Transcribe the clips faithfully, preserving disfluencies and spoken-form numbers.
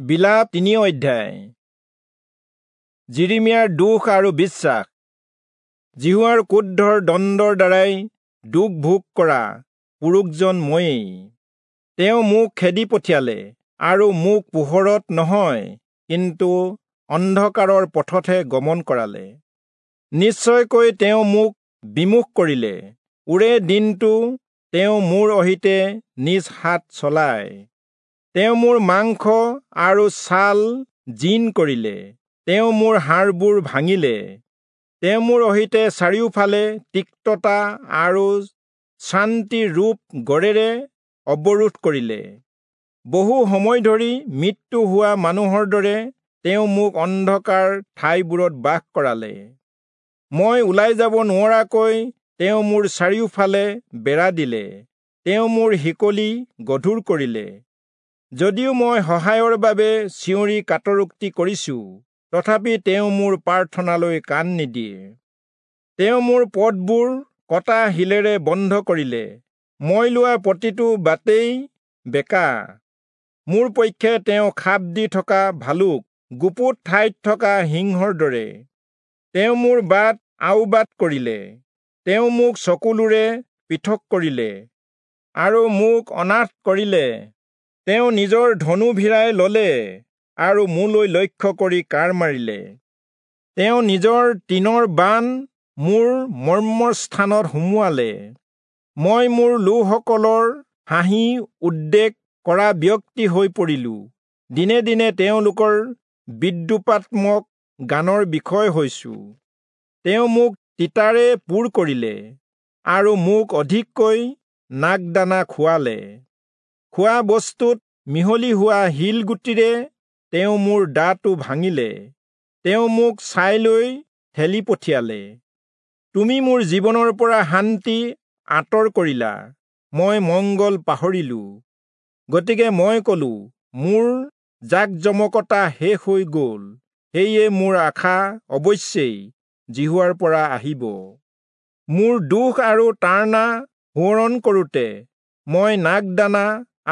বিলাপ তিনি অধ্যায়। যিৰিমিয়াৰ দুখ আৰু বিশ্বাস। যিহোৱাৰ ক্ৰোধৰ দণ্ডৰ দ্বাৰাই দুখ ভোগ কৰা পুৰুষজন ময়েই। তেওঁ মোক খেদি পঠিয়ালে আৰু মোক পোহৰত নহয়, কিন্তু অন্ধকাৰৰ পথতহে গমন কৰালে। নিশ্চয়কৈ তেওঁ মোক বিমুখ কৰিলে, ওৰে দিনটো তেওঁ মোৰ অহিতে নিজ হাত চলায়। তেওঁ মোৰ মাংস আৰু ছাল জীণ কৰিলে, তেওঁ মোৰ হাড়বোৰ ভাঙিলে। তেওঁ মোৰ অহিতে চাৰিওফালে তিক্ততা আৰু শ্ৰান্তিৰ ৰূপ গড়েৰে অৱৰোধ কৰিলে। বহু সময় ধৰি মৃত্যু হোৱা মানুহৰ দৰে তেওঁ মোক অন্ধকাৰ ঠাইবোৰত বাস কৰালে। মই ওলাই যাব নোৱৰাকৈ তেওঁ মোৰ চাৰিওফালে বেৰা দিলে, তেওঁ মোৰ শিকলি গধুৰ কৰিলে। যদিও মই সহায়ৰ বাবে চিঞৰি কাতৰোক্তি কৰিছো, তথাপি তেওঁ মোৰ প্ৰাৰ্থনালৈ কাণ নিদিয়ে। তেওঁ মোৰ পথবোৰ কটা শিলেৰে বন্ধ কৰিলে, মই লোৱা প্ৰতিটো বাটেই বেঁকা। মোৰ পক্ষে তেওঁ খাপ দি থকা ভালুক, গুপুত ঠাইত থকা সিংহৰ দৰে। তেওঁ মোৰ বাট আওবাট কৰিলে, তেওঁ মোক চকুলোৰে পৃথক কৰিলে আৰু মোক অনাথ কৰিলে। তেওঁ নিজৰ ধনু ভিৰাই ললে আৰু মোলৈ লক্ষ্য কৰি কাঁড় মাৰিলে। তেওঁ নিজৰ টিনৰ বাণ মোৰ মৰ্মস্থানত সুমুৱালে। মই মোৰ লোকসকলৰ হাঁহি উদ্বেগ কৰা ব্যক্তি হৈ পৰিলো, দিনে দিনে তেওঁলোকৰ বিদ্ৰূপাত্মক গানৰ বিষয় হৈছো। তেওঁ মোক তিতাৰে পূৰ কৰিলে আৰু মোক অধিককৈ নাগদানা খুৱালে। খোৱা বস্তুত মিহলি হোৱা শিলগুটিৰে তেওঁ মোৰ দাঁতো ভাঙিলে। তেওঁ মোক ছাইলৈ ঠেলি পঠিয়ালে। তুমি মোৰ জীৱনৰ পৰা শান্তি আঁতৰ কৰিলা, মই মংগল পাহৰিলো। গতিকে মই কলো, মোৰ জাকজমকতা শেষ হৈ গ'ল, সেয়ে মোৰ আশা অৱশ্যেই যিহোৱাৰ পৰা আহিব। মোৰ দুখ আৰু তাড়না সোঁৱৰণ কৰোঁতে মই নাগদানা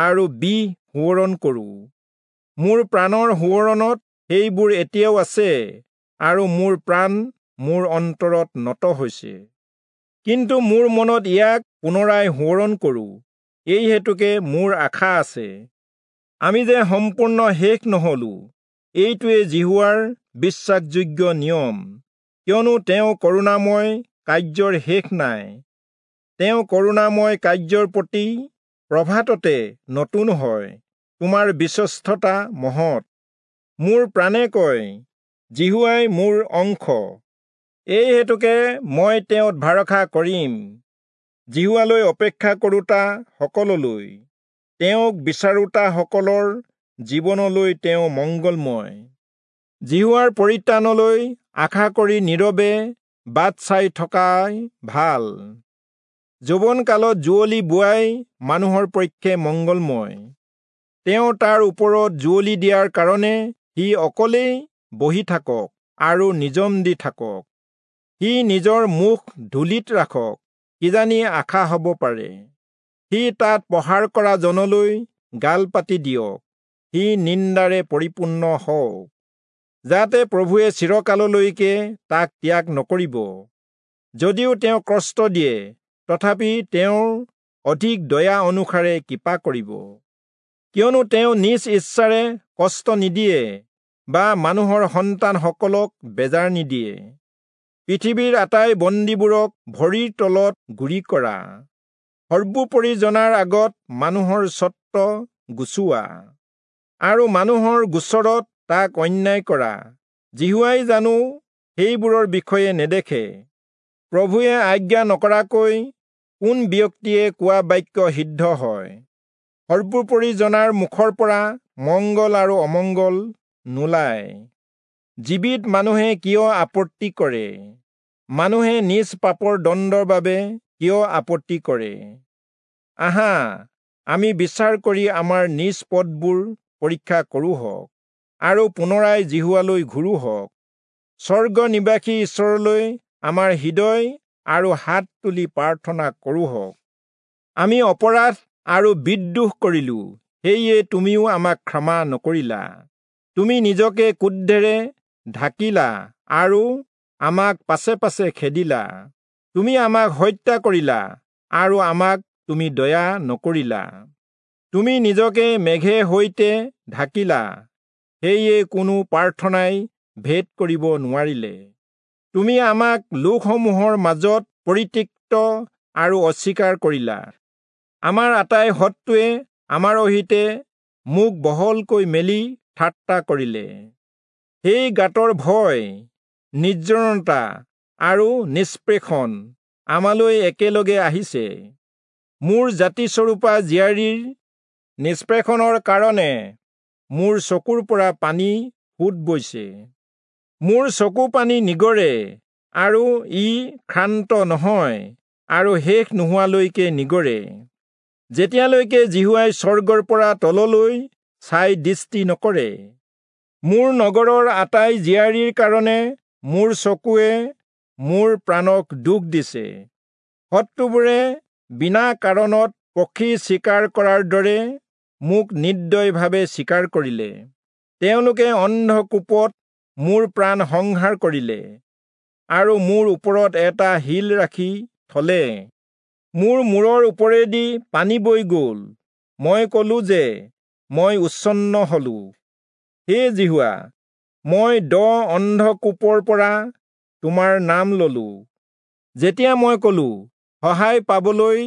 আৰু বিহ সোঁৱৰণ কৰোঁ। মোৰ প্ৰাণৰ সোঁৱৰণত সেইবোৰ এতিয়াও আছে, আৰু মোৰ প্ৰাণ মোৰ অন্তৰত নত হৈছে। কিন্তু মোৰ মনত ইয়াক পুনৰাই সোঁৱৰণ কৰোঁ, এই হেতুকে মোৰ আশা আছে। আমি যে সম্পূৰ্ণ শেষ নহলো, এইটোৱে যিহোৱাৰ বিশ্বাসযোগ্য নিয়ম, কিয়নো তেওঁ কৰুণাময় কাৰ্যৰ শেষ নাই। তেওঁ কৰুণাময় কাৰ্যৰ প্ৰতি প্ৰভাততে নতুন হয়, তোমাৰ বিশ্বস্ততা মহৎ। মোৰ প্ৰাণে কয়, যিহোৱাই মোৰ অংশ, এই হেতুকে মই তেওঁত ভৰসা কৰিম। যিহোৱালৈ অপেক্ষা কৰোঁতা সকললৈ, তেওঁক বিচাৰোঁতাসকলৰ জীৱনলৈ তেওঁ মংগলময়। যিহোৱাৰ পৰিত্ৰাণলৈ আশা কৰি নীৰৱে বাট চাই থকাই ভাল। যৌৱনকালত যুঁৱলি বোৱাই মানুহৰ পক্ষে মংগলময়। তেওঁ তাৰ ওপৰত যুঁৱলি দিয়াৰ কাৰণে সি অকলেই বহি থাকক আৰু নিজম দি থাকক। সি নিজৰ মুখ ধূলিত ৰাখক, কিজানি আশা হ'ব পাৰে। সি তাত প্ৰহাৰ কৰা জনলৈ গাল পাতি দিয়ক, সি নিন্দাৰে পৰিপূৰ্ণ হওক, যাতে প্ৰভুৱে চিৰকাললৈকে তাক ত্যাগ নকৰিব। যদিও তেওঁ কষ্ট দিয়ে, তথাপি তেওঁৰ অধিক দয়া অনুসাৰে কৃপা কৰিব। কিয়নো তেওঁ নিজ ইচ্ছাৰে কষ্ট নিদিয়ে বা মানুহৰ সন্তানসকলক বেজাৰ নিদিয়ে। পৃথিৱীৰ আটাই বন্দীবোৰক ভৰিৰ তলত গুৰি কৰা, সৰ্বোপৰি জনাৰ আগত মানুহৰ স্বত্ব গুচোৱা আৰু মানুহৰ গোচৰত তাক অন্যায় কৰা। যিহোৱাই জানো সেইবোৰৰ বিষয়ে নেদেখে? প্ৰভুৱে আজ্ঞা নকৰাকৈ কোন ব্যক্তিয়ে কোৱা বাক্য সিদ্ধ হয়? সৰ্বোপৰি জনাৰ মুখৰ পৰা মংগল আৰু অমংগল নোলায়। জীৱিত মানুহে কিয় আপত্তি কৰে? মানুহে নিজ পাপৰ দণ্ডৰ বাবে কিয় আপত্তি কৰে? আহা, আমি বিচাৰ কৰি আমাৰ নিজ পথবোৰ পৰীক্ষা কৰোঁহক আৰু পুনৰাই যিহোৱালৈ ঘূৰোঁহক। স্বৰ্গ নিবাসী ঈশ্বৰলৈ আমাৰ হৃদয় আৰু হাত তুলি প্ৰাৰ্থনা কৰোঁহক। আমি অপৰাধ আৰু বিদ্ৰোহ কৰিলো, সেয়ে তুমিও আমাক ক্ষমা নকৰিলা। তুমি নিজকে ক্ৰোধেৰে ঢাকিলা আৰু আমাক পাছে পাছে খেদিলা। তুমি আমাক হত্যা কৰিলা আৰু আমাক তুমি দয়া নকৰিলা। তুমি নিজকে মেঘে সৈতে ঢাকিলা, সেয়ে কোনো প্ৰাৰ্থনাই ভেদ কৰিব নোৱাৰিলে। তুমি আমাক লোকসমূহৰ মাজত পৰিত্যক্ত আৰু অস্বীকাৰ কৰিলা। আমাৰ আটাই শত্ৰুৱে আমাৰ অহিতে মুখ বহলকৈ মেলি ঠাট্টা কৰিলে। সেই গাঁতৰ ভয়, নিৰ্জনতা আৰু নিষ্পেষণ আমালৈ একেলগে আহিছে। মোৰ জাতিস্বৰূপা জীয়াৰীৰ নিষ্পেষণৰ কাৰণে মোৰ চকুৰ পৰা পানী সোঁত বৈছে। মোৰ চকু পানী নিগৰে আৰু ই ক্ষান্ত নহয় আৰু শেষ নোহোৱালৈকে নিগৰে, যেতিয়ালৈকে যিহোৱাই স্বৰ্গৰ পৰা তললৈ চাই দৃষ্টি নকৰে। মোৰ নগৰৰ আটাই জীয়াৰীৰ কাৰণে মোৰ চকুৱে মোৰ প্ৰাণক দুখ দিছে। শত্ৰুবোৰে বিনা কাৰণত পক্ষী চিকাৰ কৰাৰ দৰে মোক নিৰ্দয়ভাৱে চিকাৰ কৰিলে। তেওঁলোকে অন্ধকূপত মোৰ প্ৰাণ সংহাৰ কৰিলে আৰু মোৰ ওপৰত এটা শিল ৰাখি থলে। মোৰ মূৰৰ ওপৰেদি পানী বৈ গ'ল। মই কলো যে মই উচ্ছন্ন হলো। হে যিহোৱা, মই দ অন্ধকূপৰ পৰা তোমাৰ নাম ললো। যেতিয়া মই কলো, সহায় পাবলৈ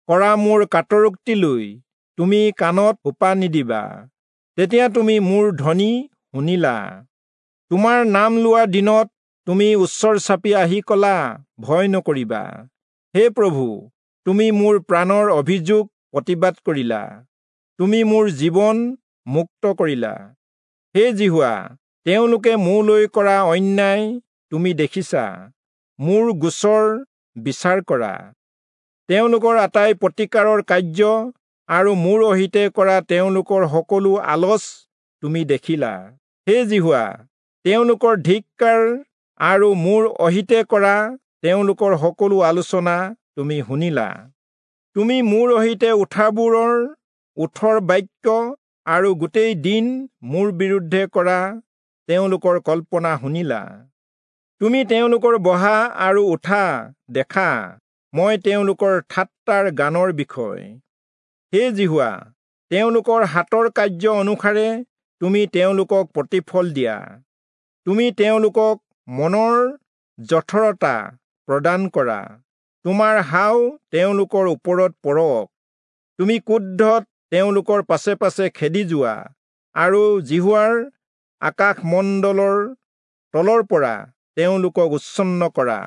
কৰা মোৰ কাতৰোক্তিলৈ তুমি কাণত সোপা নিদিবা, তেতিয়া তুমি মোৰ ধ্বনি শুনিলা। তোমাৰ নাম লোৱাৰ দিনত তুমি ওচৰ চাপি আহি কলা, ভয় নকৰিবা। হে প্ৰভু, তুমি মোৰ প্ৰাণৰ অভিযোগ প্ৰতিবাদ কৰিলা, তুমি মোৰ জীৱন মুক্ত কৰিলা। হে যিহোৱা, তেওঁলোকে মোলৈ কৰা অন্যায় তুমি দেখিছা, মোৰ গোচৰ বিচাৰ কৰা। তেওঁলোকৰ আটাই প্ৰতিকাৰৰ কাৰ্য আৰু মোৰ অহিতে কৰা তেওঁলোকৰ সকলো আলচ তুমি দেখিলা। হে যিহোৱা, তেওঁলোকৰ ধিক্কাৰ আৰু মোৰ অহিতে কৰা তেওঁলোকৰ সকলো আলোচনা তুমি শুনিলা। তুমি মোৰ অহিতে উঠাবোৰৰ ওঠৰ বাক্য আৰু গোটেই দিন মোৰ বিৰুদ্ধে কৰা তেওঁলোকৰ কল্পনা শুনিলা। তুমি তেওঁলোকৰ বহা আৰু উঠা দেখা, মই তেওঁলোকৰ ঠাট্টাৰ গানৰ বিষয়। হে যিহোৱা, তেওঁলোকৰ হাতৰ কাৰ্য অনুসাৰে তুমি তেওঁলোকক প্ৰতিফল দিয়া। তুমি তেওঁলোকক মনৰ জঠৰতা প্ৰদান কৰা, তোমাৰ হাও তেওঁলোকৰ ওপৰত পৰক। তুমি ক্ৰোধত তেওঁলোকৰ পাছে পাছে খেদি যোৱা আৰু যিহোৱাৰ আকাশমণ্ডলৰ তলৰ পৰা তেওঁলোকক উচ্ছন্ন কৰা।